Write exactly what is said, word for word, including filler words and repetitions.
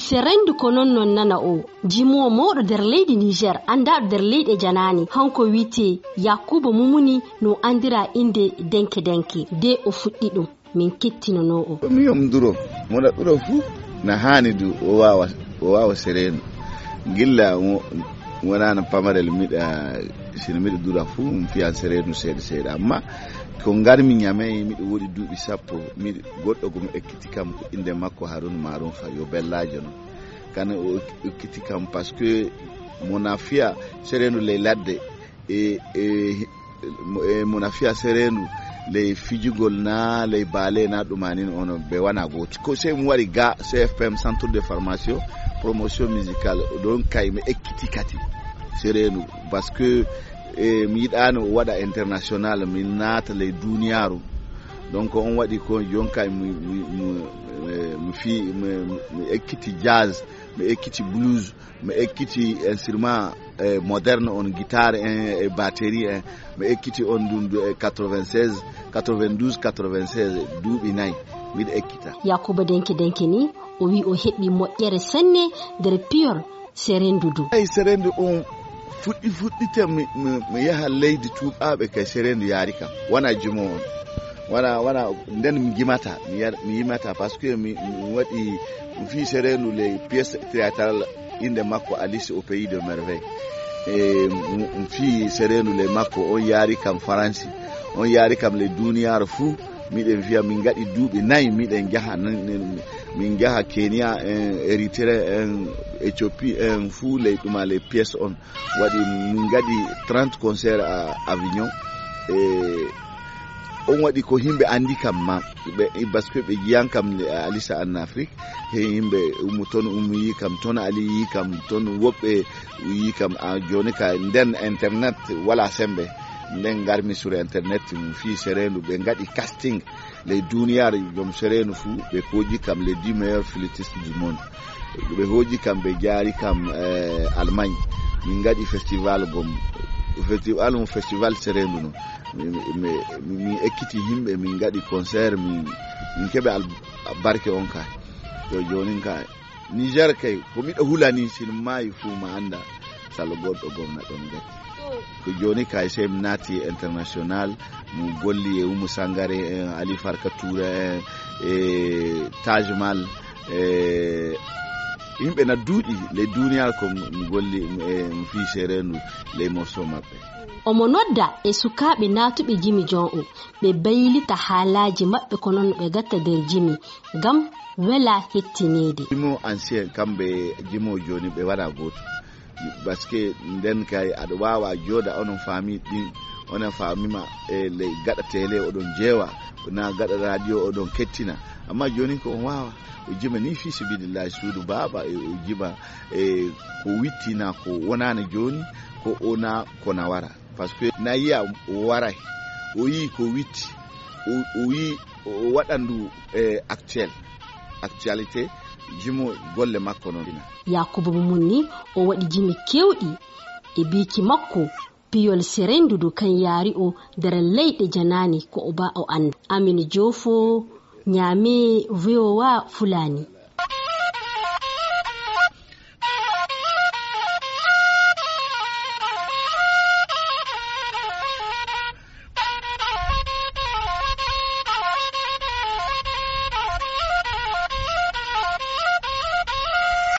Serendu ko non non nana o, jimoowo mawɗo nder leydi Niger, anndaaɗo nder leyɗe janaani, hanko wiyetee Yakuba Mumuni, no anndira innde Denke Denke, de o fuɗɗi ɗum. Min kettinonoo o. Ko mi yom duro, mo na ɗuro fuu, na haani du o waawa, o waawa sereenu. Gilla mo wonaa no pamarel miɗa, sino miɗa dura fuu, mi fiyan sereenu seeɗa seeɗa. Amma ko ngarmi Ñamey, miɗo woodi duuɓi sappo, miɗo, goɗɗo ko mo ekkiti kam, ko innde makko Haruna Marun Fa, yo bellaajo non. Kana o ekkiti kam, parce que mo na fiya sereenu ley ladde, e, e, mo, e, mo na fiya sereenu ley fijugol na ley baale na ɗuma nin ono ɓe wana gooti. Ko sey mo wari ga C F P M, Centre de Formation, Promotion Musicale, ɗon kay mi ekkiti kati sereenu, parce que, e, mi yiɗaano o waɗa international, mi naata ley duniyaaru. Donc on waɗi ko jon kay mi, mi, mi, e, mi fi, mi, mi ekkiti jazz, mi ekkiti blues, mi ekkiti instrument, e, moderne on, guitare en, e, batterie en, mi ekkiti on ɗum du-, e, quatre-vingt-seize, quatre-vingt-douze, quatre-vingt-seize, duuɓi nayi, miɗo ekkita. Yakuba Denke Denke ni, o wi o heɓi moƴƴere senne nder piyol serendu du. Ay, serendu on fuɗɗi, fuɗɗite mi, mi, mi yaha leydi tuuɓaaɓe kay serendu yaari kam. Wana jumo on. Wana, wana, nden mi jimata, mi yar-, mi yimata, parce que mi, mi waɗi, mi fii serendu ley pièce théâtrale, innde makko Alice au pays de merveille. E, mi, mi fii serendu ley makko, on yaari kam Faransi, on yaari kam ley duniyaaru fuu. Miɗen fiya, min ngaɗi duuɓi nayi, miɗen jaha, nan-, nan-, min jaha Kenya en, Eritrea en, Ethiopie en, fuu ley ɗuma ley pièce on. Waɗi min ngaɗi trente concert à Avignon. E, on waɗi ko yimɓe anndi kam ma. Ɓe, parce que ɓe jiyan kam, e, Alisa en Afrique. He yimɓe ummu ton, ummu yi kam ton, Ali yi kam ton, woɓɓe yi kam. A, jooni ka nden internet wala sembe. Nden ngarmi sur internet, mi fii serendu, ɓe ngaɗi casting. Ley duniyaaru, joom sereenu fuu, ɓe hooji kam les dix meilleurs flûtistes du monde. Ɓe hooji kam, ɓe jaari kam, eh, Allemagne. Min ngaɗi festival gom. Festival mo festival sereendu no. Mi, mi, mi, mi, min ekkiti yimɓe, min ngaɗi concert, min, min keɓi al-, barke on ka. To joonin ka, Niger kay, ko miɗo hulani, si mi maayi fuu ma annda, salo goɗɗo gomna ɗon gati. Ko jooni kay, sey mi naati international, mo golli e Umu Sangare en, Ali Farka Touré en, e Taj Mahal, e yimɓe na duuɗi ley duniyaaru ko mi golli, e mi fii seereendu ley morceau maɓɓe. Omo nodda e sukaaɓe naatuɓe jimi jon o, ɓe baylita haalaaji maɓɓe ko non no ɓe gatta nder jimi, ngam wela hettineede. Jimo ancien, kamɓe jimo jooni ɓe waɗa gooto. Parce que nden kay aɗa waawa jooda onon famille ɗin, onon famille ma e ley gaɗa télé oɗon jeewa, na gaɗa radio oɗon kettina. Amma jooni ko on waawa, o jima ni fi sabilillahi suudu baaba, e o jima e ko witti na ko wonani jooni, ko ona ko na wara. Parce que na yiya o waray, o yi ko witti, o, o yi o waɗandu e actuel, actualité, jimo golle makko non. Yakuba mo mun ni, o waɗi jimi kewɗi e biiki makko, piyol serendudu kan yaari o nder leyɗe janaani ko o ba o annda. Amin Joofo, Ñaame, V O A Fulani.